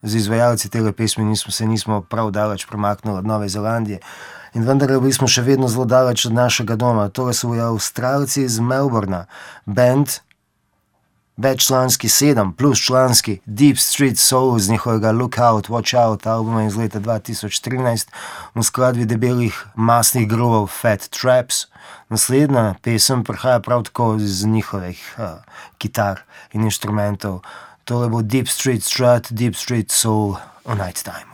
z izvajalci tega pesmi nismo prav daleč premaknili od Nove Zelandije. In vendar bili smo še vedno zelo daleč od našega doma. Tole so Avstralci iz Melbourna, band, veččlanski 7 plus članski Deep Street Soul z njihovega Look Out, Watch Out albuma iz leta 2013 v skladbi debelih masnih gruvov Fat Traps. Naslednja pesem prihaja prav tako iz njihovih kitar in inštrumentov. Tole bo Deep Street Strut, Deep Street Soul o Night Time.